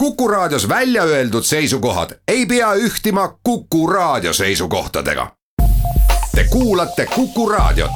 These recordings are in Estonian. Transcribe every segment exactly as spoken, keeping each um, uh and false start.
Kuku Raadios välja öeldud seisukohad ei pea ühtima Kuku Raadio seisukohtadega. Te kuulate Kuku Raadiot.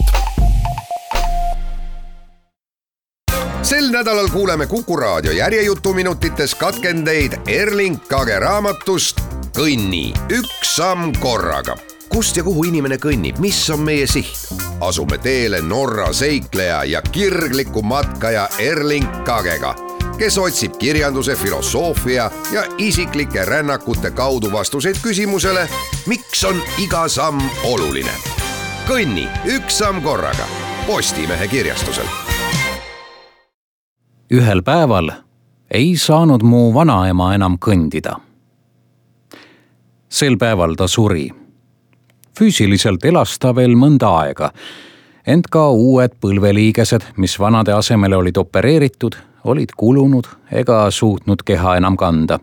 Sel nädalal kuuleme Kuku Raadio järjejutuminutites katkendeid Erling Kage raamatust Kõnni, üks samm korraga. Kust ja kuhu inimene kõnnib, mis on meie siht? Asume teele Norra seikleja ja kirgliku matkaja Erling Kagega, kes otsib kirjanduse, filosoofia ja isiklike rännakute kaudu vastuseid küsimusele, miks on iga samm oluline. Kõnni, üks samm korraga. Postimehe kirjastusel. Ühel päeval ei saanud mu vanaema enam kõndida. Sel päeval ta suri. Füüsiliselt elas ta veel mõnda aega, ent ka uued põlveliigesed, mis vanade asemele olid opereeritud, olid kulunud ega suutnud keha enam kanda.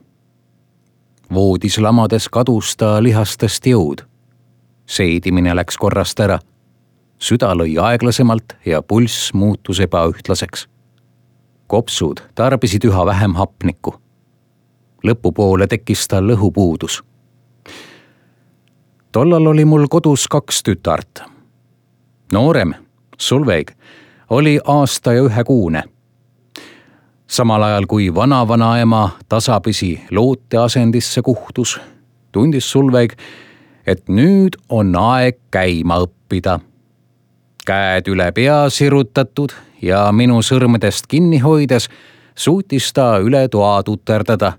Voodis lamades kadus ta lihastest jõud. Seedimine läks korrast ära. Süda lõi aeglasemalt ja pulss muutus ebaühtlaseks. Kopsud tarbisid üha vähem hapnikku. Lõpupoole tekkis ta lõhupuudus. Tollal oli mul kodus kaks tütart. Noorem, Sulveig, oli aasta ja ühe kuune. Samal ajal kui vana-vanaema tasapisi loote asendisse kuhtus, tundis Sulveig, et nüüd on aeg käima õppida. Käed üle pea sirutatud ja minu sõrmedest kinni hoides suutis ta üle toa tuterdada.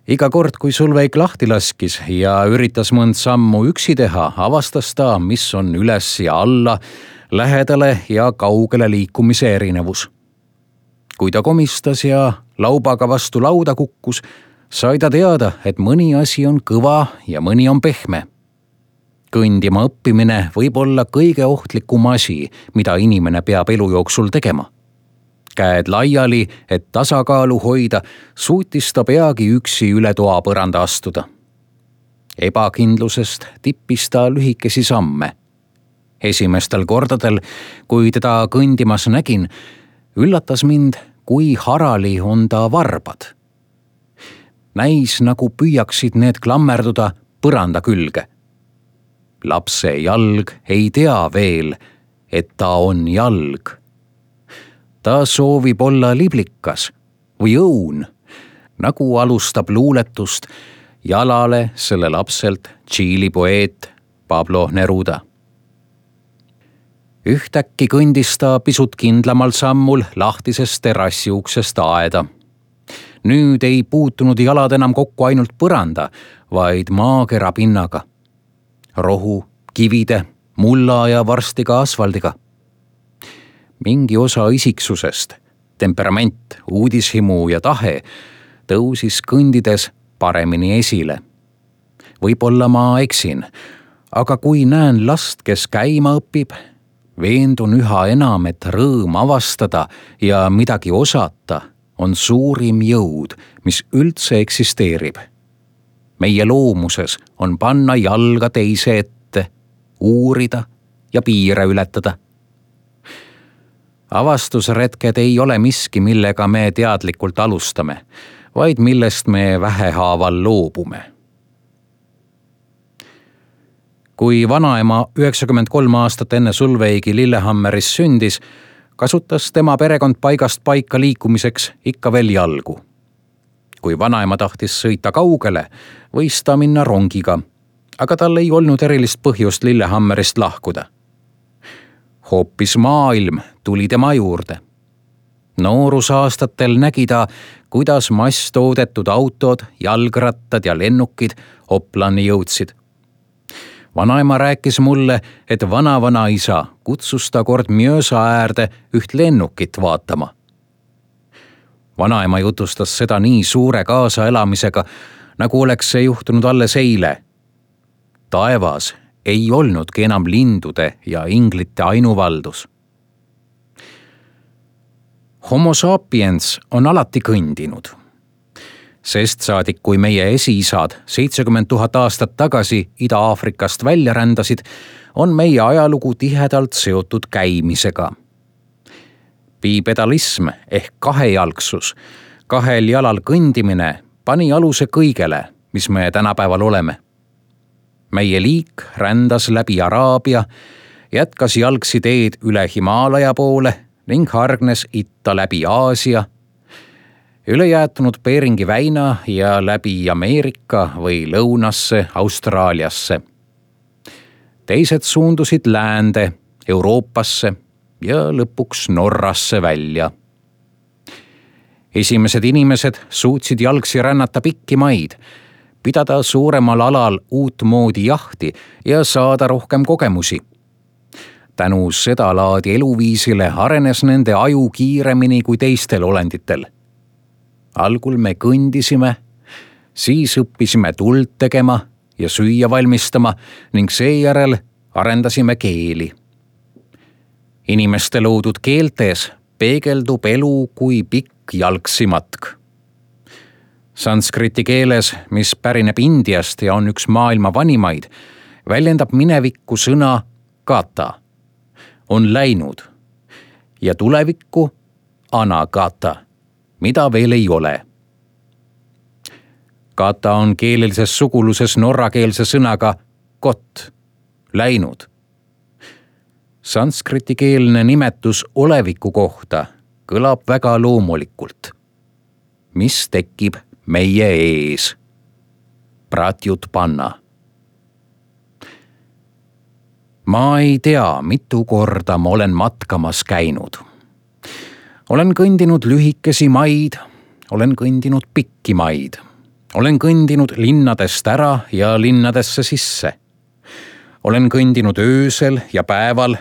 Iga kord, kui Sulveig lahti laskis ja üritas mõnd sammu üksi teha, avastas ta, mis on üles ja alla, lähedale ja kaugele liikumise erinevus. Kui ta komistas ja laubaga vastu lauda kukkus, sai ta teada, et mõni asi on kõva ja mõni on pehme. Kõndima õppimine võib olla kõige ohtlikum asi, mida inimene peab elu jooksul tegema. Käed laiali, et tasakaalu hoida, suutis ta peagi üksi üle toa põranda astuda. Ebakindlusest tippis ta lühikesi samme. Esimestel kordadel, kui teda kõndimas nägin, üllatas mind, kui harali on ta varbad. Näis, nagu püüaksid need klammerduda põranda külge. Lapse jalg ei tea veel, et ta on jalg. Ta soovib olla liblikas või õun, nagu alustab luuletust jalale selle lapselt Tšiili poeet Pablo Neruda. Ühtäkki kõndis ta pisut kindlamal sammul lahtisest terrassi uksest aeda. Nüüd ei puutunud jalad enam kokku ainult põranda, vaid maakera pinnaga. Rohu, kivide, mulla ja varsti ka asfaldiga. Mingi osa isiksusest, temperament, uudishimu ja tahe tõusis kõndides paremini esile. Võib-olla ma eksin, aga kui näen last, kes käima õpib, veendun üha enam, et rõõm avastada ja midagi osata on suurim jõud, mis üldse eksisteerib. Meie loomuses on panna jalga teise ette, uurida ja piire ületada. Avastusretked ei ole miski, millega me teadlikult alustame, vaid millest me vähehaaval loobume. Kui vanaema üheksakümmend kolm aastat enne Sulveigi Lillehammeris sündis, kasutas tema perekond paigast paika liikumiseks ikka veel jalgu. Kui vanaema tahtis sõita kaugele, võis ta minna rongiga, aga tal ei olnud erilist põhjust Lillehammerist lahkuda. Hoopis maailm tuli tema juurde. Noorusaastatel nägi ta, kuidas masstoodetud autod, jalgrattad ja lennukid Oplani jõudsid. Vanaema rääkis mulle, et vana-vanaisa kutsus ta kord Mjösa äärde üht lennukit vaatama. Vanaema jutustas seda nii suure kaasaelamisega, nagu oleks see juhtunud alles eile. Taevas ei olnudki enam lindude ja inglite ainuvaldus. Homo sapiens on alati kõndinud. Sest saadik, kui meie esiisad seitsekümmend tuhat aastat tagasi Ida-Aafrikast välja rändasid, on meie ajalugu tihedalt seotud käimisega. Bipedalism ehk kahejalgsus kahel jalal kõndimine pani aluse kõigele, mis me tänapäeval oleme. Meie liik rändas läbi Araabia, jätkas jalgsi teed üle Himaalaja poole ning hargnes itta läbi Aasia, üle jäetunud Beringi väina ja läbi Ameerika või lõunasse Austraaliasse. Teised suundusid läände, Euroopasse ja lõpuks Norrasse välja. Esimesed inimesed suutsid jalgsi rännata pikki maid, pidada suuremal alal uut moodi jahti ja saada rohkem kogemusi. Tänu seda laadi eluviisile arenes nende aju kiiremini kui teistel olenditel. Algul me kõndisime, siis õppisime tuld tegema ja süüa valmistama ning seejärel arendasime keeli. Inimeste loodud keeltes peegeldub elu kui pikk jalgsi matk. Sanskriti keeles, mis pärineb Indiast ja on üks maailma vanimaid, väljendab minevikku sõna kata, on läinud, ja tulevikku anagata, mida veel ei ole. Kata on keelelises suguluses norrakeelse sõnaga kot, läinud. Sanskriti-keelne nimetus oleviku kohta kõlab väga loomulikult. Mis tekib meie ees? Pratyut panna. Ma ei tea, mitu korda ma olen matkamas käinud. Olen kõndinud lühikesi maid, olen kõndinud pikki maid. Olen kõndinud linnadest ära ja linnadesse sisse. Olen kõndinud öösel ja päeval,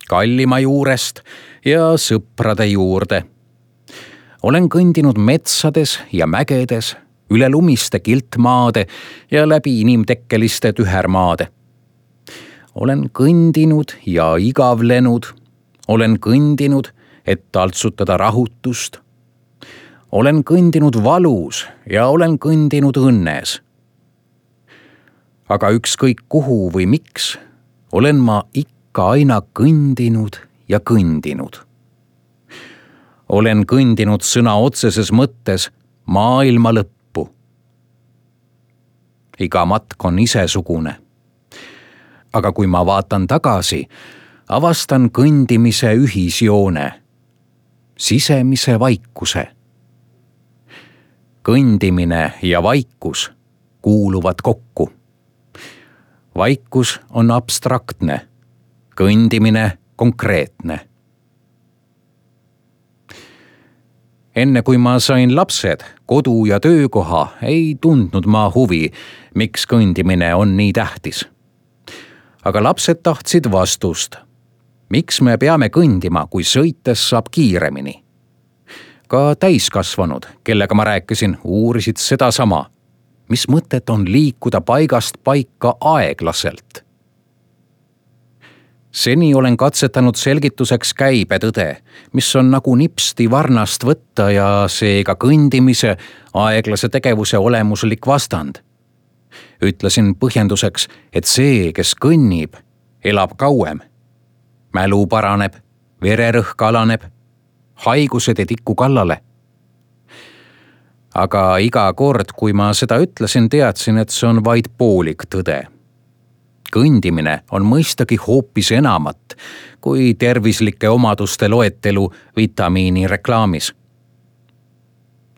kallima juurest ja sõprade juurde. Olen kõndinud metsades ja mägedes, üle lumiste kiltmaade ja läbi inimtekkeliste tühermaade. Olen kõndinud ja igavlenud, olen kõndinud, et taltsutada rahutust. Olen kõndinud valus ja olen kõndinud õnnes. Aga ükskõik kuhu või miks, olen ma ikka aina kõndinud ja kõndinud. Olen kõndinud sõna otseses mõttes maailma lõppu. Iga matk on isesugune. Aga kui ma vaatan tagasi, avastan kõndimise ühisjoone, sisemise vaikuse. Kõndimine ja vaikus kuuluvad kokku. Vaikus on abstraktne, kõndimine konkreetne. Enne kui ma sain lapsed, kodu ja töökoha, ei tundnud ma huvi, miks kõndimine on nii tähtis. Aga lapsed tahtsid vastust. Miks me peame kõndima, kui sõites saab kiiremini? Ka täiskasvanud, kellega ma rääkisin, uurisid seda sama. Mis mõtet on liikuda paigast paika aeglaselt? Seni olen katsetanud selgituseks käibetõde, mis on nagu nipsti varnast võtta ja seega kõndimise, aeglase tegevuse olemuslik vastand. Ütlesin põhjenduseks, et see, kes kõnnib, elab kauem. Mälu paraneb, vererõhk alaneb, haigused ei tiku kallale. Aga iga kord, kui ma seda ütlesin, teadsin, et see on vaid poolik tõde. Kõndimine on mõistagi hoopis enamat kui tervislike omaduste loetelu vitamiini reklaamis.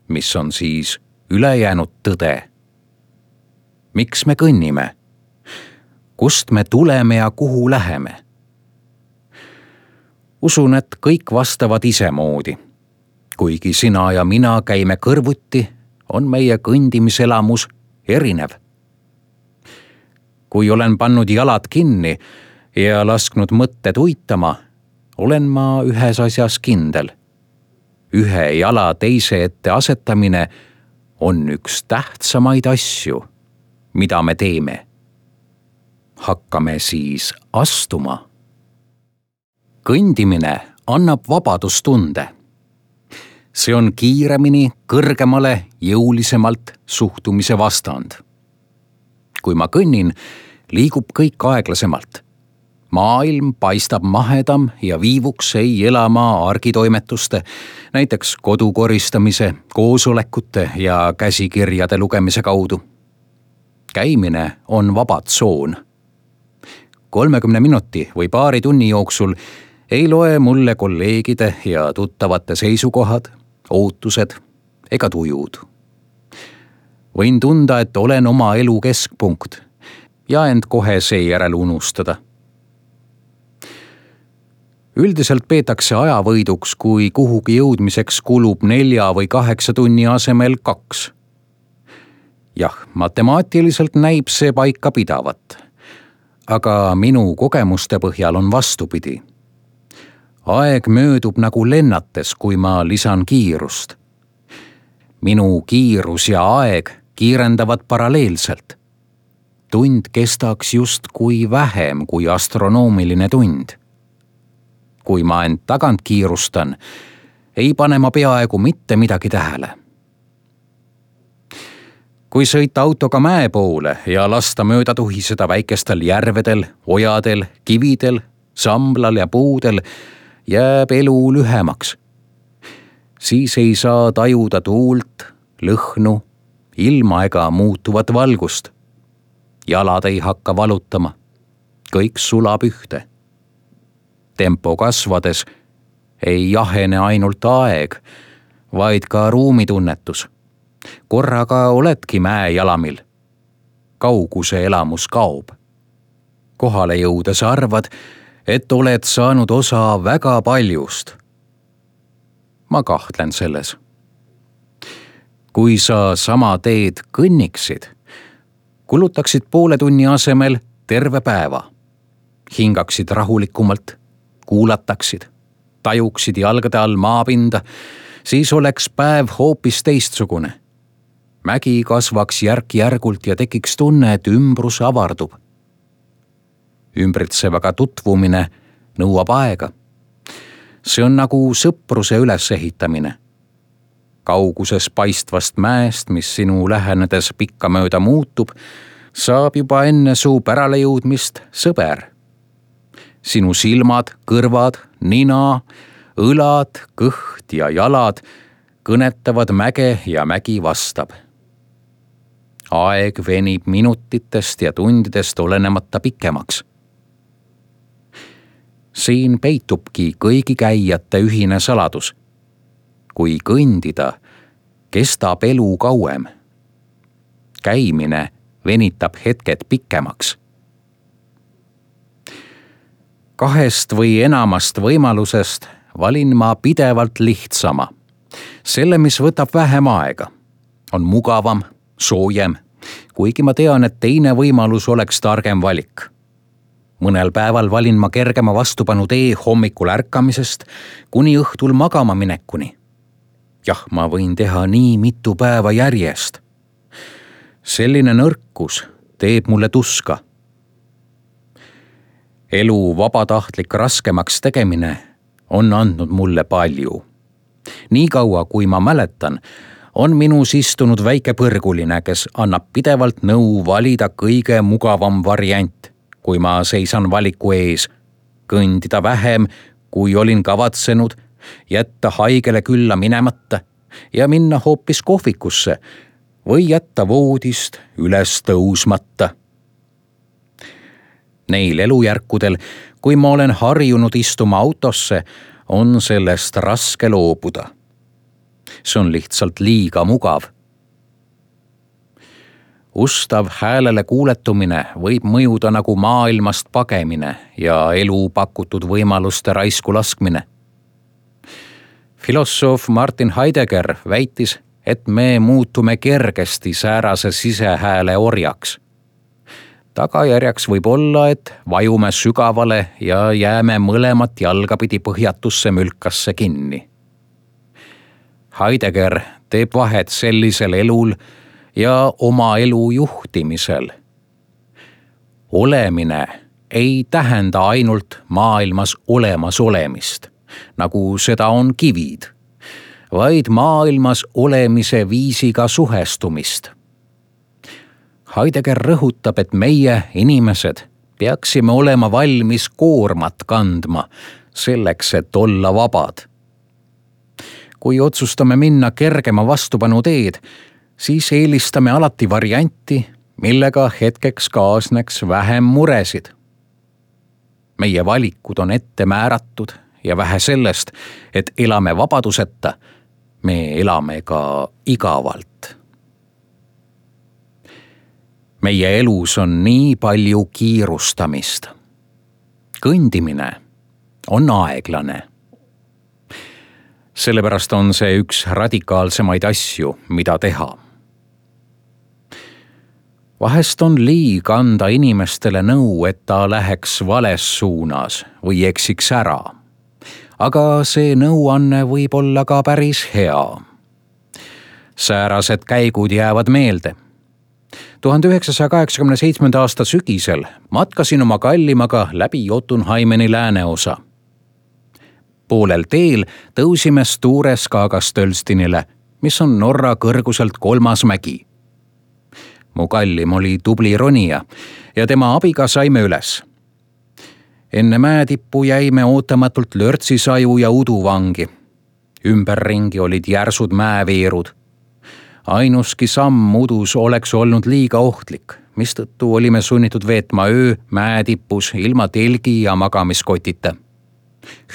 Mis on siis ülejäänud tõde? Miks me kõnnime? Kust me tuleme ja kuhu läheme? Usun, et kõik vastavad isemoodi. Kuigi sina ja mina käime kõrvuti, on meie kõndimiselamus erinev. Kui olen pannud jalad kinni ja lasknud mõtted uitama, olen ma ühes asjas kindel. Ühe jala teise ette asetamine on üks tähtsamaid asju, mida me teeme. Hakkame siis astuma. Kõndimine annab vabadustunde. See on kiiremini, kõrgemale, jõulisemalt suhtumise vastand. Kui ma kõnnin, liigub kõik aeglasemalt. maailm paistab mahedam ja viivuks ei elama argitoimetuste, näiteks kodu koristamise, koosolekute ja käsikirjade lugemise kaudu. Käimine on vaba tsoon. kolmekümne minuti või paari tunni jooksul ei loe mulle kolleegide ja tuttavate seisukohad, ootused ega tujud. Võin tunda, et olen oma elu keskpunkt ja end kohe seejärel unustada. Üldiselt peetakse ajavõiduks, kui kuhugi jõudmiseks kulub nelja või kaheksa tunni asemel kaks. Jah, matemaatiliselt näib see paika pidavat, aga minu kogemuste põhjal on vastupidi. Aeg möödub nagu lennates, kui ma lisan kiirust. Minu kiirus ja aeg kiirendavad paralleelselt. Tund kestaks just kui vähem kui astronoomiline tund. Kui ma end tagant kiirustan, ei pane ma peaaegu mitte midagi tähele. Kui sõita autoga mäe poole ja lasta mööda tuhiseda väikestel järvedel, ojadel, kividel, samblal ja puudel, jääb elu lühemaks. Siis ei saa tajuda tuult, lõhnu, ilma ega muutuvat valgust. Jalad ei hakka valutama. Kõik sulab ühte. Tempo kasvades ei jahene ainult aeg, vaid ka ruumitunnetus. Korraga oledki mäe jalamil. Kauguse elamus kaob. Kohale jõudes arvad, et oled saanud osa väga paljust. Ma kahtlen selles. Kui sa sama teed kõnniksid, kulutaksid poole tunni asemel terve päeva. Hingaksid rahulikumalt, kuulataksid, tajuksid jalgade all maapinda, siis oleks päev hoopis teistsugune. Mägi kasvaks järk-järgult ja tekiks tunne, et ümbrus avardub. Ümbritsevaga tutvumine nõuab aega. See on nagu sõpruse ülesehitamine. Kauguses paistvast mäest, mis sinu lähenedes pikka mööda muutub, saab juba enne suu pärale jõudmist sõber. Sinu silmad, kõrvad, nina, õlad, kõht ja jalad kõnetavad mäge ja mägi vastab. Aeg venib minutitest ja tundidest olenemata pikemaks. Siin peitubki kõigi käijate ühine saladus. Kui kõndida, kestab elu kauem. Käimine venitab hetked pikemaks. Kahest või enamast võimalusest valin ma pidevalt lihtsama. Selle, mis võtab vähem aega, on mugavam, soojem, kuigi ma tean, et teine võimalus oleks targem valik. Mõnel päeval valin ma kergema vastupanu tee hommikul ärkamisest kuni õhtul magama minekuni. Jah, ma võin teha nii mitu päeva järjest. Selline nõrkus teeb mulle tuska. Elu vabatahtlik raskemaks tegemine on andnud mulle palju. Nii kaua, kui ma mäletan, on minus istunud väike põrguline, kes annab pidevalt nõu valida kõige mugavam variant, kui ma seisan valiku ees, kõndida vähem, kui olin kavatsenud, jätta haigele külla minemata ja minna hoopis kohvikusse või jätta voodist üles tõusmata. Neil elujärkudel, kui ma olen harjunud istuma autosse, on sellest raske loobuda. See on lihtsalt liiga mugav. Ustav häälele kuuletumine võib mõjuda nagu maailmast pagemine ja elu pakutud võimaluste raisku laskmine. Filosoof Martin Heidegger väitis, et me muutume kergesti säärase sisehääle orjaks. Tagajärjeks võib olla, et vajume sügavale ja jääme mõlemat jalgapidi põhjatusse mülkasse kinni. Heidegger teeb vahet sellisel elul ja oma elu juhtimisel. Olemine ei tähenda ainult maailmas olemas olemist, nagu seda on kivid, vaid maailmas olemise viisiga suhestumist. Heidegger rõhutab, et meie, inimesed, peaksime olema valmis koormat kandma selleks, et olla vabad. Kui otsustame minna kergema vastupanu teed, siis eelistame alati varianti, millega hetkeks kaasneks vähem muresid. Meie valikud on ette määratud ja vähe sellest, et elame vabaduseta, me elame ka igavalt. Meie elus on nii palju kiirustamist. Kõndimine on aeglane. Sellepärast on see üks radikaalsemaid asju, mida teha. Vahest on liig anda inimestele nõu, et ta läheks vales suunas või eksiks ära. Aga see nõuanne võib olla ka päris hea. Säärased käigud jäävad meelde. tuhande üheksasaja kaheksakümne seitsmenda aasta sügisel matkasin oma kallimaga läbi Jotunheimeni lääneosa. Poolel teel tõusime Sture Skagastølstinile, mis on Norra kõrguselt kolmas mägi. Mu kallim oli tubli ronija ja tema abiga saime üles. Enne mäetippu jäime ootamatult lörtsisaju ja uduvangi. Ümberringi olid järsud mäeveerud. Ainuski samm udus oleks olnud liiga ohtlik, mistõttu olime sunnitud veetma öö mäetipus ilma telgi ja magamiskotita.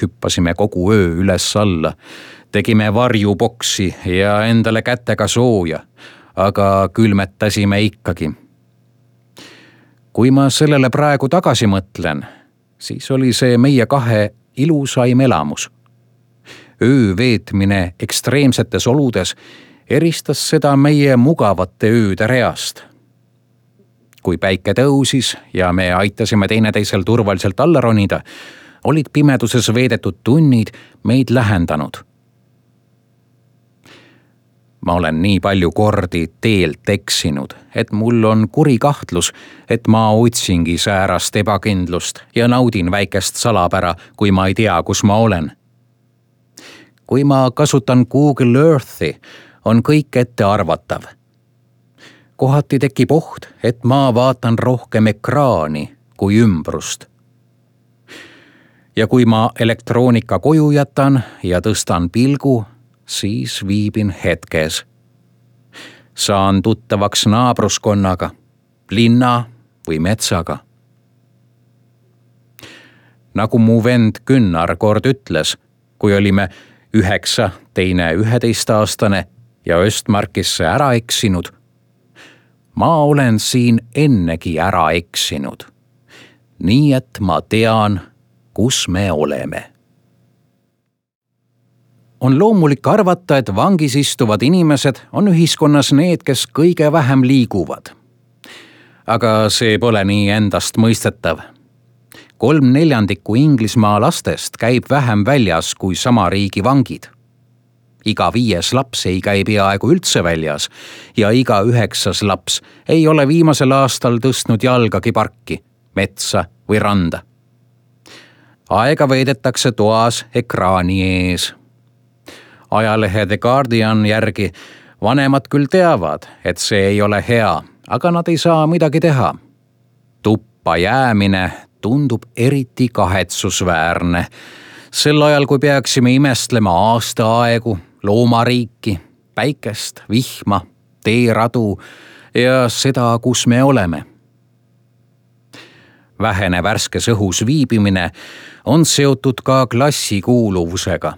Hüppasime kogu öö üles alla, tegime varjuboksi ja endale kätega sooja, aga külmetasime ikkagi. Kui ma sellele praegu tagasi mõtlen, siis oli see meie kahe ilusaim elamus. Öö veetmine ekstreemsetes oludes eristas seda meie mugavate ööde reast. Kui päike tõusis ja me aitasime teineteisel turvaliselt alla ronida, olid pimeduses veedetud tunnid meid lähendanud. Ma olen nii palju kordi teelt eksinud, et mul on kuri kahtlus, et ma otsingi säärast ebakindlust ja naudin väikest salapära, kui ma ei tea, kus ma olen. Kui ma kasutan Google Earthi, on kõik ette arvatav. Kohati tekib oht, et ma vaatan rohkem ekraani kui ümbrust. Ja kui ma elektroonika koju jätan ja tõstan pilgu, siis viibin hetkes. Saan tuttavaks naabruskonnaga, linna või metsaga. Nagu mu vend Günnar kord ütles, kui olime üheksa, teine üheteistaastane ja Östmarkisse ära eksinud, ma olen siin ennegi ära eksinud. Nii et ma tean, kus me oleme. On loomulik arvata, et vangis istuvad inimesed on ühiskonnas need, kes kõige vähem liiguvad. Aga see pole nii endast mõistetav. Kolm neljandikku Inglismaa lastest käib vähem väljas kui sama riigi vangid. Iga viies laps ei käi peaaegu üldse väljas ja iga üheksas laps ei ole viimasel aastal tõstnud jalgagi parki, metsa või randa. Aega veedetakse toas ekraani ees. Ajalehe The Guardian järgi vanemad küll teavad, et see ei ole hea, aga nad ei saa midagi teha. Tuppa jäämine tundub eriti kahetsusväärne. Sel ajal, kui peaksime imestlema aastaaegu, loomariiki, päikest, vihma, teeradu ja seda, kus me oleme. Vähene värskes õhus viibimine on seotud ka klassikuuluvusega.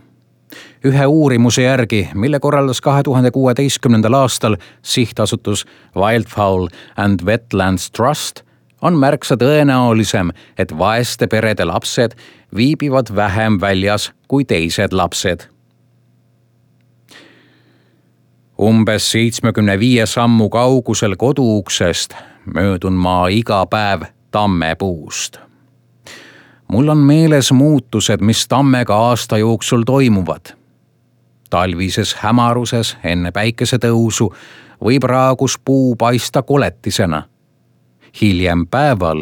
Ühe uurimuse järgi, mille korraldas kahe tuhande kuueteistkümnendal aastal sihtasutus Wildfowl and Wetlands Trust, on märksa tõenäolisem, et vaeste perede lapsed viibivad vähem väljas kui teised lapsed. Umbes seitsmekümne viie sammu kaugusel koduuksest möödun ma iga päev tammepuust. Mul on meeles muutused, mis tammega aasta jooksul toimuvad. Talvises hämaruses enne päikesetõusu võib raagus puu paista koletisena. Hiljem päeval,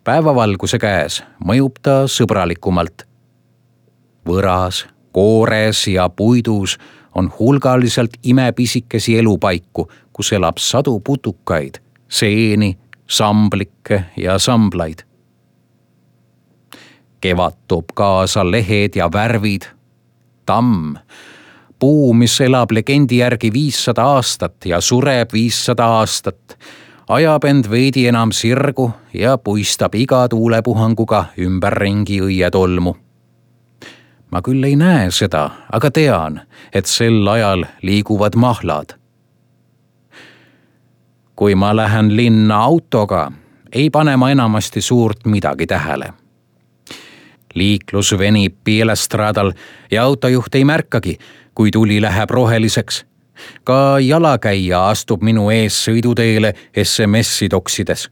päevavalguse käes, mõjub ta sõbralikumalt. Võras, koores ja puidus on hulgaliselt imepisikesi elupaiku, kus elab sadu putukaid, seeni, samblikke ja samblaid. Kevad toob kaasa lehed ja värvid. Tamm, puu, mis elab legendi järgi viissada aastat ja sureb viissada aastat, ajab end veidi enam sirgu ja puistab iga tuulepuhanguga ümberringi õietolmu. Ma küll ei näe seda, aga tean, et sel ajal liiguvad mahlad. Kui ma lähen linna autoga, ei pane ma enamasti suurt midagi tähele. Liiklus venib Pielestraadal ja autojuht ei märkagi, kui tuli läheb roheliseks. Ka jalakäija astub minu ees sõiduteele S M S-i toksides.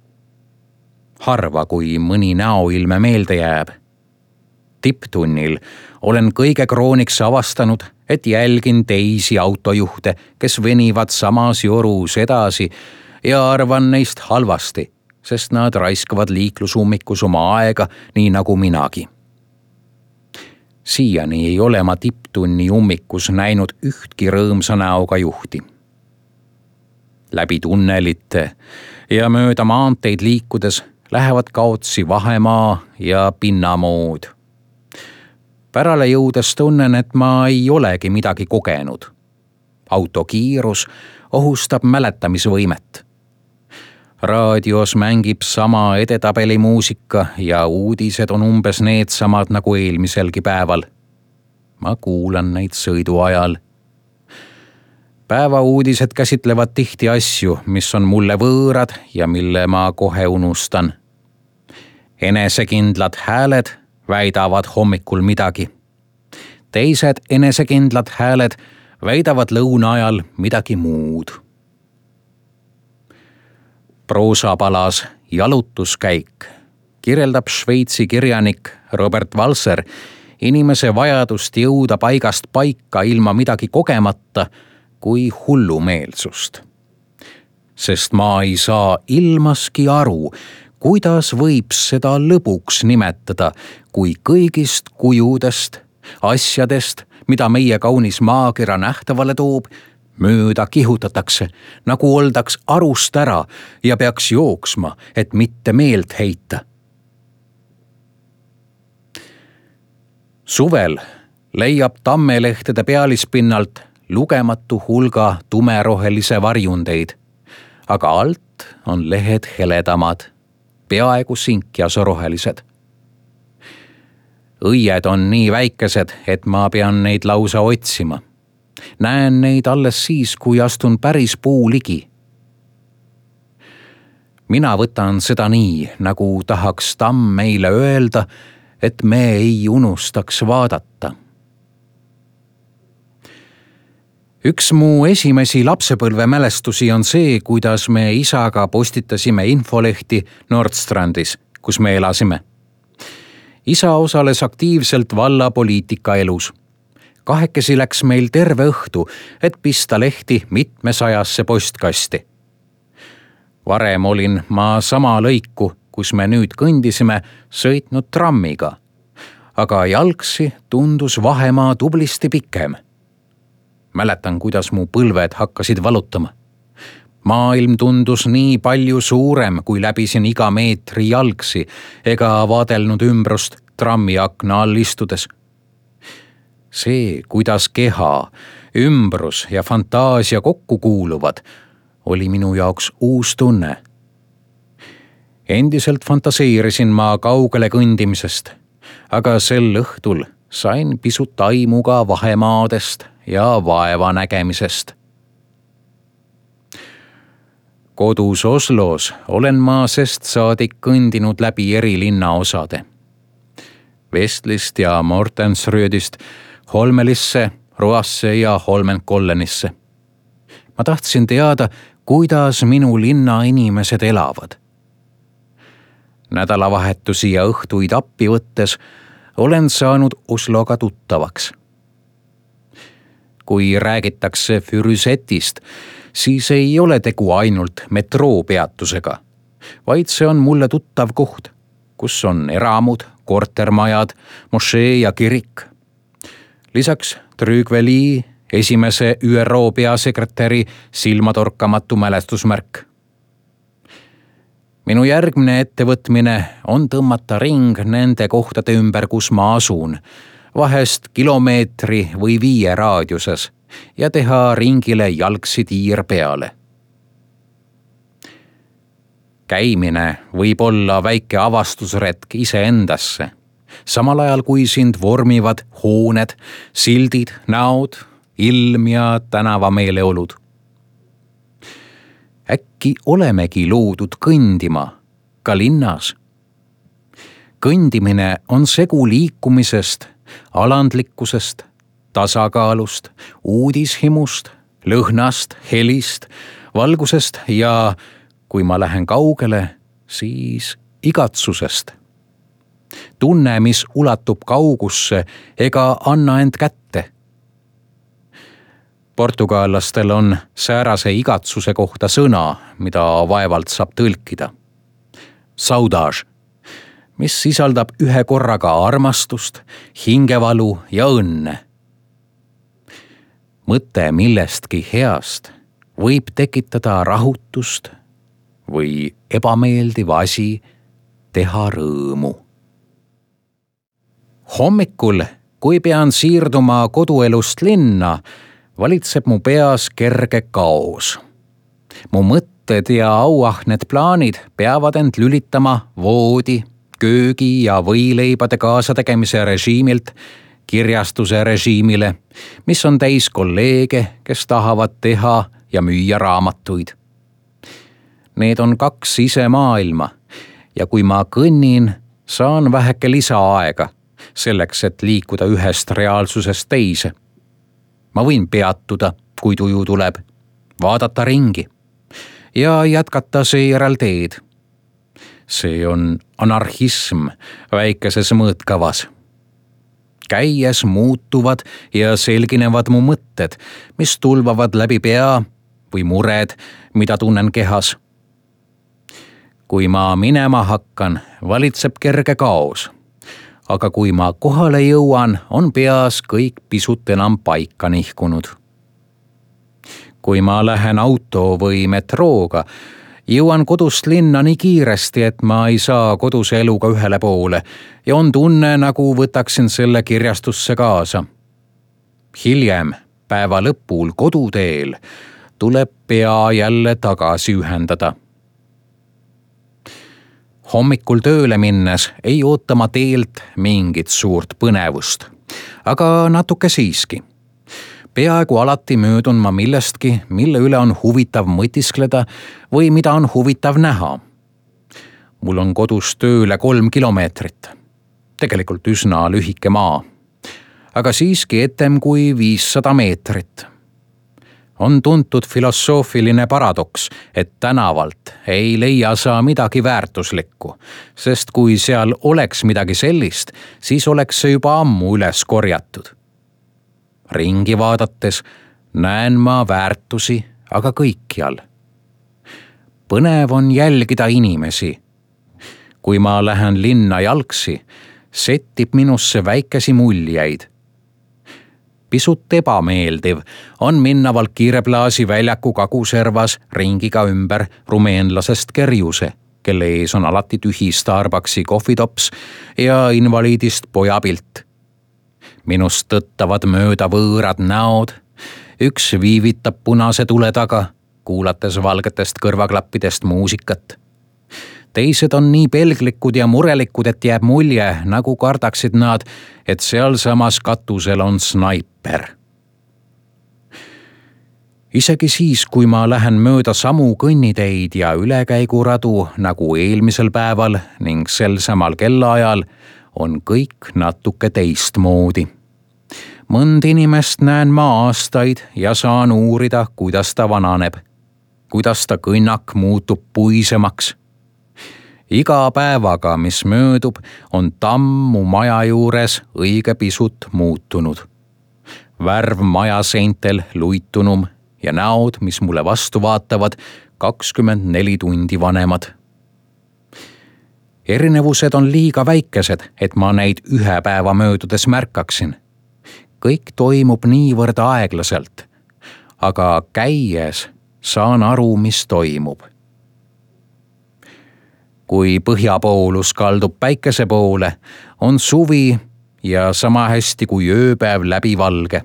Harva, kui mõni näoilme meelde jääb. Tipptunnil olen kõige krooniks avastanud, et jälgin teisi autojuhte, kes venivad samas jorus edasi ja arvan neist halvasti, sest nad raiskavad liiklusummikus oma aega nii nagu minagi. Siiani ei ole ma tipptunni ummikus näinud ühtki rõõmsa näoga juhti. Läbi tunnelite ja mööda maanteid liikudes lähevad kaotsi vahemaa ja pinnamood. Pärale jõudes tunnen, et ma ei olegi midagi kogenud. Autokiirus ohustab mäletamisvõimet. Raadios mängib sama edetabeli muusika ja uudised on umbes needsamad nagu eelmiselgi päeval. Ma kuulan neid sõidu ajal. Päevauudised käsitlevad tihti asju, mis on mulle võõrad ja mille ma kohe unustan. Enesekindlad hääled väidavad hommikul midagi. Teised enesekindlad hääled väidavad lõuna ajal midagi muud. Proosapalas Jalutuskäik kirjeldab Šveitsi kirjanik Robert Walser inimese vajadust jõuda paigast paika ilma midagi kogemata kui hullumeelsust. Sest ma ei saa ilmaski aru, kuidas võib seda lõbuks nimetada, kui kõigist kujudest, asjadest, mida meie kaunis maakera nähtavale toob, mööda kihutatakse, nagu oldaks arust ära ja peaks jooksma, et mitte meelt heita. Suvel leiab tammelehtede pealispinnalt lugematu hulga tumerohelise varjundeid, aga alt on lehed heledamad, peaaegu sinkjasorohelised. Õied on nii väikesed, et ma pean neid lausa otsima. Näen neid alles siis, kui astun päris puu ligi. Mina võtan seda nii, nagu tahaks tamm meile öelda, et me ei unustaks vaadata. Üks mu esimesi lapsepõlve mälestusi on see, kuidas me isaga postitasime infolehti Nordstrandis, kus me elasime. Isa osales aktiivselt valla poliitika elus. Kahekesi läks meil terve õhtu, et pista lehti mitmesajasse postkasti. Varem olin ma sama lõiku, kus me nüüd kõndisime, sõitnud trammiga, aga jalgsi tundus vahemaa tublisti pikem. Mäletan, kuidas mu põlved hakkasid valutama. Maailm tundus nii palju suurem, kui läbisin iga meetri jalgsi ega vaadelnud ümbrust trammi akna all istudes. See, kuidas keha, ümbrus ja fantaasia kokku kuuluvad, oli minu jaoks uus tunne. Endiselt fantaseerisin ma kaugele kõndimisest, aga sel õhtul sain pisut aimu ka vahemaadest ja vaeva nägemisest. Kodus Oslos olen ma sest saadik kõndinud läbi eri linnaosade. Vestlist ja Mortensröödist Holmelisse, Roasse ja Holmenkollenisse. Ma tahtsin teada, kuidas minu linna inimesed elavad. Nädalavahetusi ja õhtuid appi võttes olen saanud Osloga tuttavaks. Kui räägitakse Fürisetist, siis ei ole tegu ainult metroopeatusega, vaid see on mulle tuttav koht, kus on eramud, kortermajad, mošee ja kirik. Lisaks Trügveli esimese Ü R O peasekretäri silmatorkamatu mälestusmärk. minu järgmine ettevõtmine on tõmmata ring nende kohtade ümber, kus ma asun, vahest kilomeetri või viie raadiuses ja teha ringile jalgsi tiir peale. Käimine võib olla väike avastusretk iseendasse, samal ajal kui sind vormivad hooned, sildid, näod, ilm ja tänavameeleolud. Äkki olemegi loodud kõndima, ka linnas. Kõndimine on segu liikumisest, alandlikkusest, tasakaalust, uudishimust, lõhnast, helist, valgusest ja kui ma lähen kaugele, siis igatsusest. Tunne, mis ulatub kaugusse ega anna end kätte. Portugallastel on säärase igatsuse kohta sõna, mida vaevalt saab tõlkida. Saudage, mis sisaldab ühe korraga armastust, hingevalu ja õnne. Mõte millestki heast võib tekitada rahutust või ebameeldiv asi teha rõõmu. Hommikul, kui pean siirduma koduelust linna, valitseb mu peas kerge kaos. Mu mõtted ja auahned plaanid peavad end lülitama voodi, köögi ja võileibade kaasategemise režiimilt kirjastuse režiimile, mis on täis kolleege, kes tahavad teha ja müüa raamatuid. Need on kaks sisemaailma ja kui ma kõnnin, saan väheke lisaaega selleks, et liikuda ühest reaalsusest teise. Ma võin peatuda, kui tuju tuleb, vaadata ringi ja jätkata seejärel teed. See on anarhism väikeses mõõtkavas. Käies muutuvad ja selginevad mu mõtted, mis tulvavad läbi pea või mured, mida tunnen kehas. Kui ma minema hakkan, valitseb kerge kaos. Aga kui ma kohale jõuan, on peas kõik pisut enam paika nihkunud. Kui ma lähen auto või metrooga, jõuan kodust linna nii kiiresti, et ma ei saa koduse eluga ühele poole ja on tunne, nagu võtaksin selle kirjastusse kaasa. Hiljem, päeva lõpul koduteel, tuleb pea jälle tagasi ühendada. Hommikul tööle minnes ei oota ma teelt mingit suurt põnevust, aga natuke siiski. Peaaegu alati möödun ma millestki, mille üle on huvitav mõtiskleda või mida on huvitav näha. Mul on kodus tööle kolm kilomeetrit. Tegelikult üsna lühike maa, aga siiski etem kui viissada meetrit. On tuntud filosoofiline paradoks, et tänavalt ei leia sa midagi väärtuslikku, sest kui seal oleks midagi sellist, siis oleks see juba ammu üles korjatud. Ringi vaadates näen ma väärtusi, aga kõikjal. Põnev on jälgida inimesi. Kui ma lähen linna jalgsi, settib minusse väikesi muljeid. Pisut ebameeldiv on minna Valkiireplaasi väljaku kaguservas ringiga ümber rumeenlasest Kerjuse, kelle ees on alati tühi Starbucksi kohvitops ja invaliidist pojapilt. Minust tõttavad mööda võõrad näod, üks viivitab punase tule taga, kuulates valgetest kõrvaklappidest muusikat. Teised on nii pelglikud ja murelikud, et jääb mulje, nagu kardaksid nad, et seal samas katusel on snaiper. Isegi siis, kui ma lähen mööda samu kõnniteid ja ülekäiguradu nagu eelmisel päeval ning sel samal kellaajal, on kõik natuke teistmoodi. Mõnd inimest näen ma aastaid ja saan uurida, kuidas ta vananeb, kuidas ta kõnnak muutub puisemaks. Iga päevaga, mis möödub, on tammu maja juures õige pisut muutunud. Värv maja seintel luitunum ja näod, mis mulle vastu vaatavad, kakskümmend neli tundi vanemad. Erinevused on liiga väikesed, et ma neid ühe päeva möödudes märkaksin. Kõik toimub niivõrd aeglaselt, aga käies saan aru, mis toimub. kui põhjapoolus kaldub päikese poole, on suvi ja sama hästi kui ööpäev läbi valge.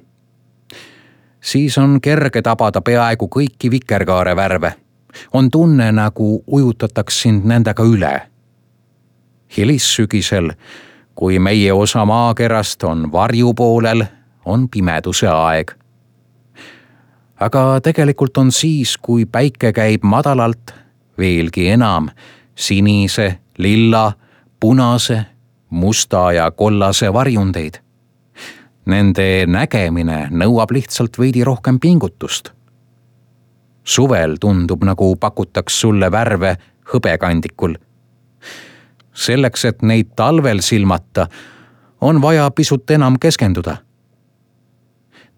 Siis on kerge tabada peaaegu kõiki vikerkaare värve. On tunne, nagu ujutataks sind nendega üle. Hilissügisel, kui meie osa maakerast on varjupoolel, on pimeduse aeg. Aga tegelikult on siis, kui päike käib madalalt, veelgi enam sinise, lilla, punase, musta ja kollase varjundeid. Nende nägemine nõuab lihtsalt veidi rohkem pingutust. Suvel tundub, nagu pakutaks sulle värve hõbekandikul. Selleks, et neid talvel silmata, on vaja pisut enam keskenduda.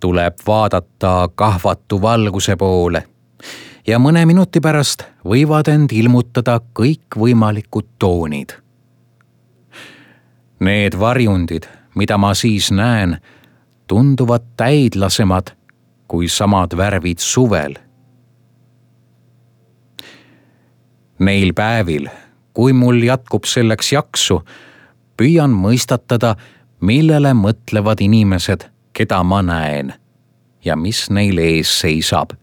Tuleb vaadata kahvatu valguse poole ja mõne minuti pärast võivad end ilmutada kõik võimalikud toonid. Need varjundid, mida ma siis näen, tunduvad täidlasemad kui samad värvid suvel. Neil päevil, kui mul jätkub selleks jaksu, püüan mõistatada, millele mõtlevad inimesed, keda ma näen ja mis neil ees seisab.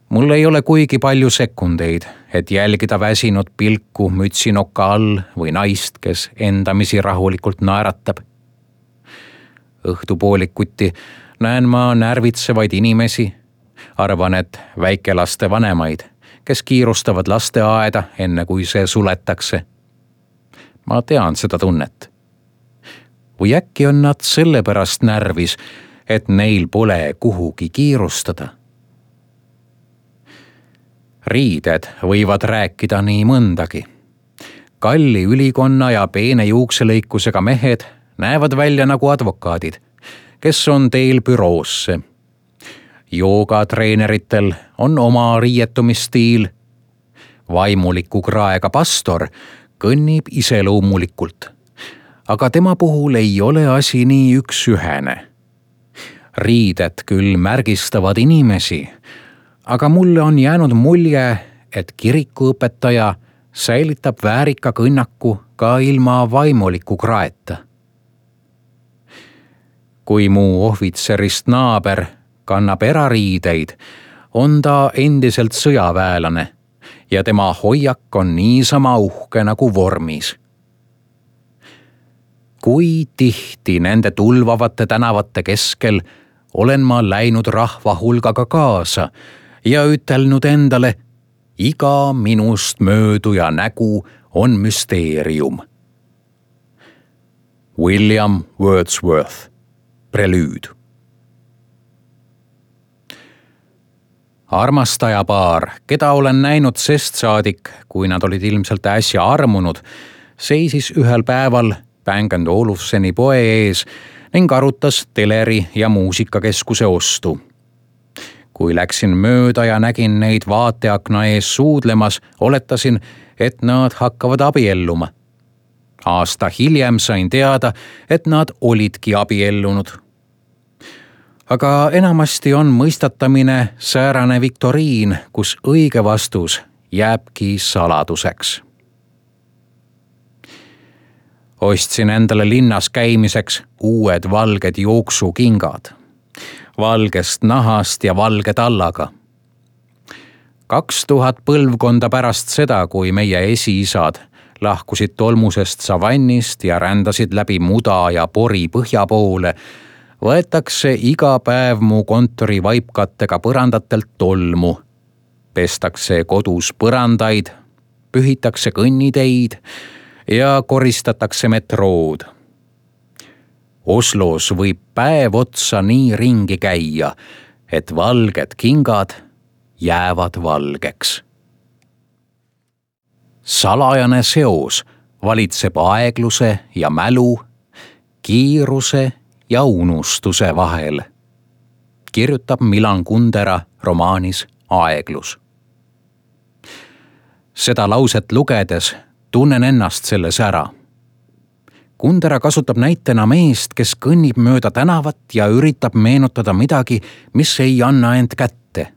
Mul ei ole kuigi palju sekundeid, et jälgida väsinud pilku mütsinoka all või naist, kes endamisi rahulikult naeratab. Õhtupoolikuti näen ma närvitsevaid inimesi, arvan, et väikelaste vanemaid, kes kiirustavad lasteaeda enne kui see suletakse. Ma tean seda tunnet. Või äkki on nad sellepärast närvis, et neil pole kuhugi kiirustada. Riided võivad rääkida nii mõndagi. Kalli ülikonna ja peene juukselõikusega mehed näevad välja nagu advokaadid, kes on teel büroosse. Joogatreeneritel on oma riietumisstiil. Vaimuliku kraega pastor kõnnib iseloomulikult, aga tema puhul ei ole asi nii üksühene. Riided küll märgistavad inimesi, aga mulle on jäänud mulje, et kirikuõpetaja säilitab väärika kõnnaku ka ilma vaimuliku kraeta. Kui mu ohvitserist naaber kannab erariideid, on ta endiselt sõjaväelane ja tema hoiak on niisama uhke nagu vormis. Kui tihti nende tulvavate tänavate keskel olen ma läinud rahva hulgaga kaasa ja ütelnud endale, iga minust mööduja nägu on müsteerium. William Wordsworth, prelüüd. Armastajapaar, keda olen näinud sest saadik, kui nad olid ilmselt äsja armunud, seisis ühel päeval Bang and Olufseni poe ees ning arutas teleri ja muusikakeskuse ostu. Kui läksin mööda ja nägin neid vaateakna ees suudlemas, oletasin, et nad hakkavad abielluma. Aasta hiljem sain teada, et nad olidki abiellunud. Aga enamasti on mõistatamine säärane viktoriin, kus õige vastus jääbki saladuseks. Ostsin endale linnas käimiseks uued valged jooksukingad, valgest nahast ja valge tallaga. Kaks tuhat põlvkonda pärast seda, kui meie esiisad lahkusid tolmusest savannist ja rändasid läbi muda ja pori põhja poole, võetakse iga päev mu kontori vaipkattega põrandatelt tolmu. Pestakse kodus põrandaid, pühitakse kõnniteid ja koristatakse metrood. Oslos võib päev otsa nii ringi käia, et valged kingad jäävad valgeks. Salajane seos valitseb aegluse ja mälu, kiiruse ja unustuse vahel, kirjutab Milan Kundera romaanis Aeglus. Seda lauset lugedes tunnen ennast selles ära. Kundera kasutab näitena meest, kes kõnnib mööda tänavat ja üritab meenutada midagi, mis ei anna end kätte.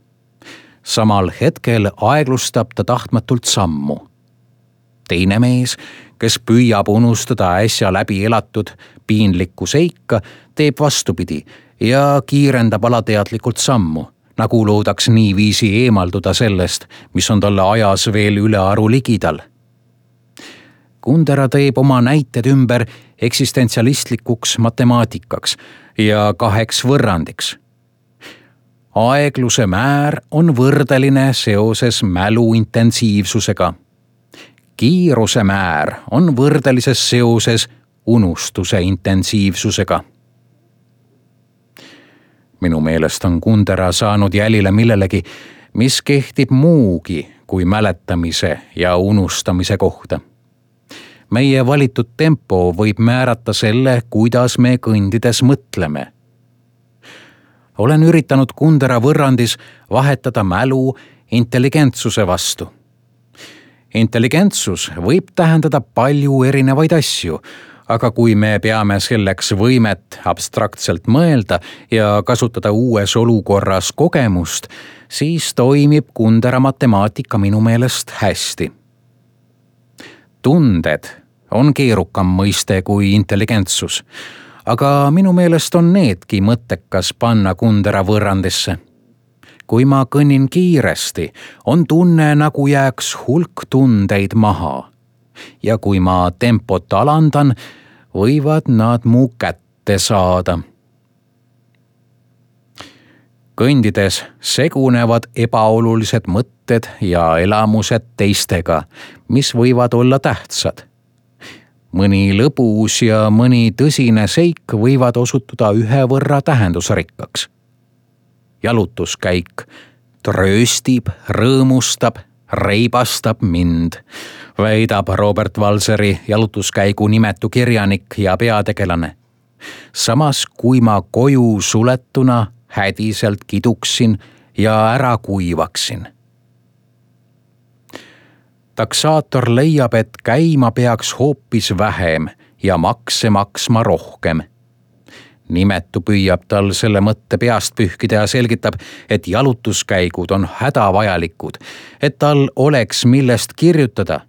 Samal hetkel aeglustab ta tahtmatult sammu. teine mees, kes püüab unustada äsja läbi elatud piinlikku seika, teeb vastupidi ja kiirendab alateadlikult sammu, nagu loodaks niiviisi eemalduda sellest, mis on talle ajas veel ülearu ligidal. Kundera teeb oma näited ümber eksistentsialistlikuks matemaatikaks ja kaheks võrrandiks. Aegluse määr on võrdeline seoses mälu intensiivsusega. Kiiruse määr on võrdelises seoses unustuse intensiivsusega. Minu meelest on Kundera saanud jälile millelegi, mis kehtib muugi kui mäletamise ja unustamise kohta. Meie valitud tempo võib määrata selle, kuidas me kõndides mõtleme. Olen üritanud Kundera võrrandis vahetada mälu intelligentsuse vastu. Intelligentsus võib tähendada palju erinevaid asju, aga kui me peame selleks võimet abstraktselt mõelda ja kasutada uues olukorras kogemust, siis toimib Kundera matemaatika minu meelest hästi. Tunded on keerukam mõiste kui intelligentsus, aga minu meelest on needki mõttekas panna Kundera võrrandisse. Kui ma kõnnin kiiresti, on tunne, nagu jääks hulk tundeid maha. Ja kui ma tempot alandan, võivad nad mu kätte saada. Kõndides segunevad ebaolulised mõtted ja elamused teistega, mis võivad olla tähtsad. Mõni lõbus ja mõni tõsine seik võivad osutuda ühe võrra tähendusrikkaks. Jalutuskäik trööstib, rõõmustab, reibastab mind, väidab Robert Walseri jalutuskäigu nimetu kirjanik ja peategelane. Samas kui ma koju suletuna hädiselt kiduksin ja ära kuivaksin. Taksaator leiab, et käima peaks hoopis vähem ja makse maksma rohkem. Nimetu püüab tal selle mõtte peast pühkida ja selgitab, et jalutuskäigud on hädavajalikud, et tal oleks millest kirjutada.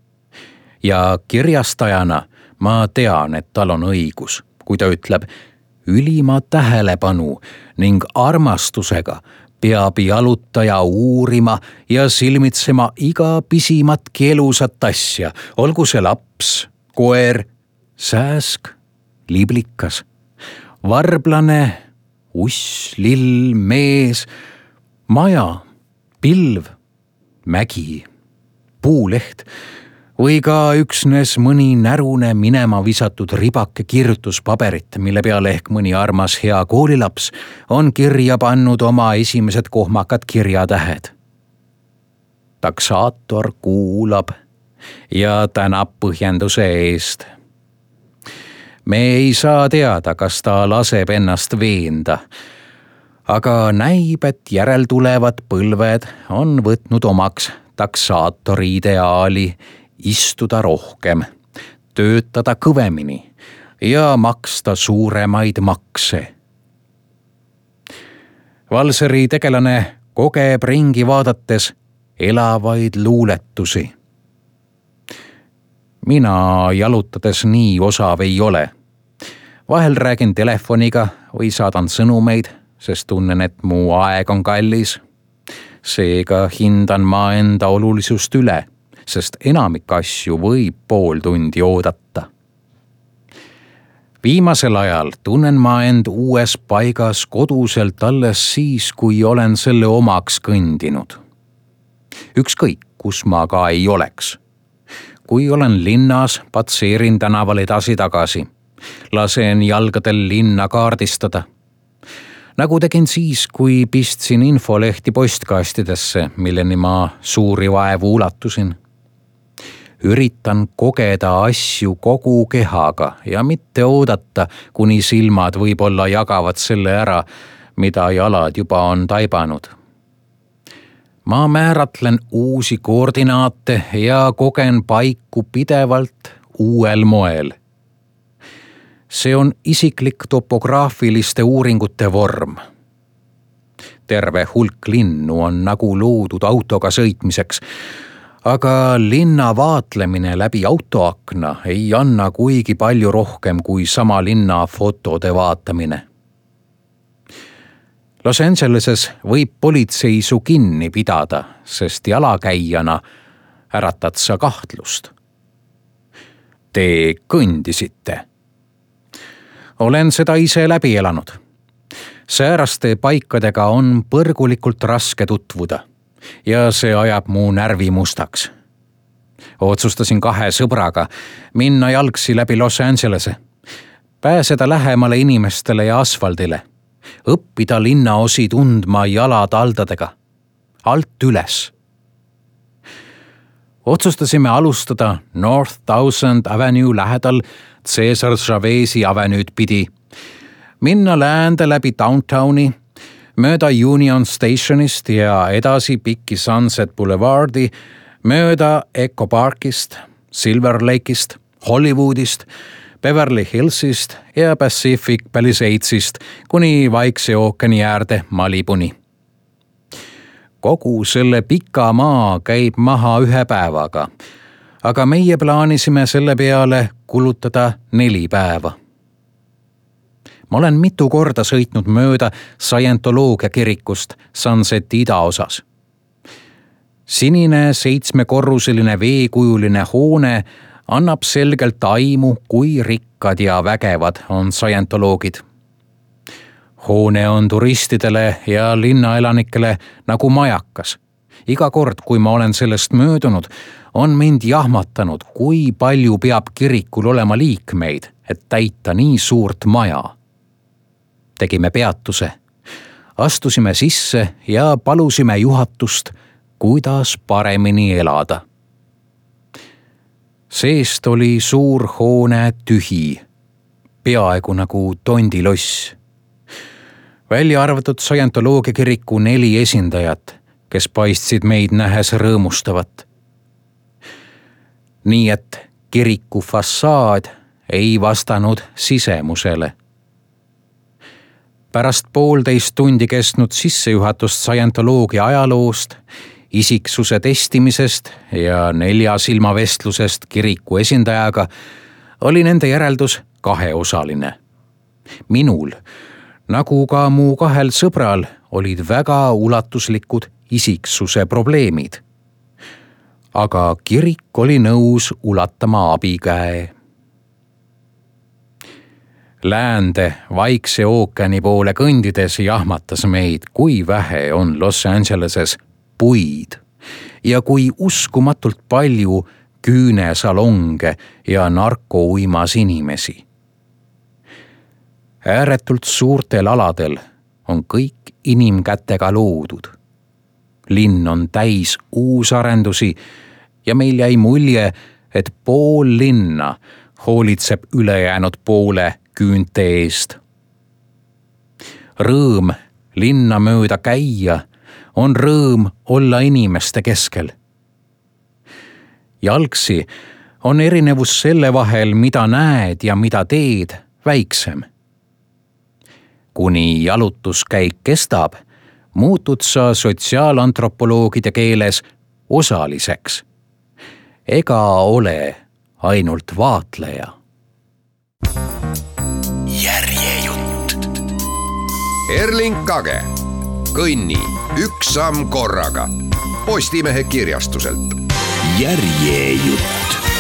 Ja kirjastajana ma tean, et tal on õigus, kui ta ütleb, ülima tähelepanu ning armastusega peab jalutaja uurima ja silmitsema iga pisimatki elusat asja, olgu see laps, koer, sääsk, liblikas, varblane, uss, lill, mees, maja, pilv, mägi, puuleht või ka üksnes mõni närune minema visatud ribake kirjutuspaberit, mille peale ehk mõni armas hea koolilaps on kirja pannud oma esimesed kohmakad kirjatähed. Taksaator kuulab ja tänab põhjenduse eest. Me ei saa teada, kas ta laseb ennast veenda, aga näib, et järeltulevad põlved on võtnud omaks taksaatori ideaali istuda rohkem, töötada kõvemini ja maksta suuremaid makse. Walseri tegelane kogeb ringi vaadates elavaid luuletusi. Mina jalutades nii osav ei ole. Vahel räägin telefoniga või saadan sõnumeid, sest tunnen, et mu aeg on kallis. Seega hindan ma enda olulisust üle, sest enamik asju võib pool tundi oodata. Viimasel ajal tunnen ma end uues paigas koduselt alles siis, kui olen selle omaks kõndinud. Ükskõik, kus ma ka ei oleks. Kui olen linnas, patseerin tänaval edasi-tagasi. Lasen jalgadel linna kaardistada. Nagu tegin siis, kui pistsin infolehti postkastidesse, milleni ma suuri vaevu ulatusin. Üritan kogeda asju kogu kehaga ja mitte oodata, kuni silmad võib-olla jagavad selle ära, mida jalad juba on taibanud. Ma määratlen uusi koordinaate ja kogen paiku pidevalt uuel moel. See on isiklik topograafiliste uuringute vorm. Terve hulk linnu on nagu loodud autoga sõitmiseks, aga linna vaatlemine läbi autoakna ei anna kuigi palju rohkem kui sama linna fotode vaatamine. Los Angeleses võib politsei su kinni pidada, sest jalakäijana äratad sa kahtlust. Te kõndisite. Olen seda ise läbi elanud. Sääraste paikadega on põrgulikult raske tutvuda ja see ajab mu närvi mustaks. Otsustasin kahe sõbraga minna jalgsi läbi Los Angelese, pääseda lähemale inimestele ja asfaldile, õppida linnaosi tundma jalataldadega, alt üles. Otsustasime alustada North Thousand Avenue lähedal Cesar Chavez'i avenued pidi, minna läände läbi downtowni, mööda Union Stationist ja edasi pikki Sunset Boulevardi, mööda Echo Parkist, Silver Lake'ist, Hollywoodist, Beverly Hillsist ja Pacific Palisadesist kuni Vaikse ookeani äärde Malibuni. Kogu selle pika maa käib maha ühe päevaga, aga meie plaanisime selle peale kulutada neli päeva. Ma olen mitu korda sõitnud mööda Scientoloogia kirikust Sunseti idaosas. Sinine seitsmekorruseline veekujuline hoone annab selgelt aimu, kui rikkad ja vägevad on Scientoloogid. Hoone on turistidele ja linnaelanikele nagu majakas. Iga kord, kui ma olen sellest möödunud, on mind jahmatanud, kui palju peab kirikul olema liikmeid, et täita nii suurt maja. Tegime peatuse, astusime sisse ja palusime juhatust, kuidas paremini elada. Seest oli suur hoone tühi, peaaegu nagu tondiloss. Välja arvatud Scientoloogia kiriku neli esindajat, kes paistsid meid nähes rõõmustavat. Nii et kiriku fassaad ei vastanud sisemusele. Pärast poolteist tundi kestnud sissejuhatust Scientoloogia ajaloost, isiksuse testimisest ja nelja silmavestlusest kiriku esindajaga oli nende järeldus kaheosaline. Minul, nagu ka mu kahel sõbral, olid väga ulatuslikud isiksuse probleemid. Aga kirik oli nõus ulatama abikäe. Läände Vaikse ookeani poole kõndides jahmatas meid, kui vähe on Los Angeleses puid ja kui uskumatult palju küünesalonge ja narkouimas inimesi. Ääretult suurtel aladel on kõik inimkätega loodud. Linn on täis uusarendusi ja meil jäi mulje, et pool linna hoolitseb ülejäänud poole küünte eest. Rõõm linna mööda käia on rõõm olla inimeste keskel. Jalgsi on erinevus selle vahel, mida näed ja mida teed, väiksem. Kuni jalutuskäik kestab, muutud sa sotsiaalantropoloogide keeles osaliseks. Ega ole ainult vaatleja. Järjejutt. Erling Kage. Kõnni üks samm korraga. Postimehe kirjastuselt. Järjejutt.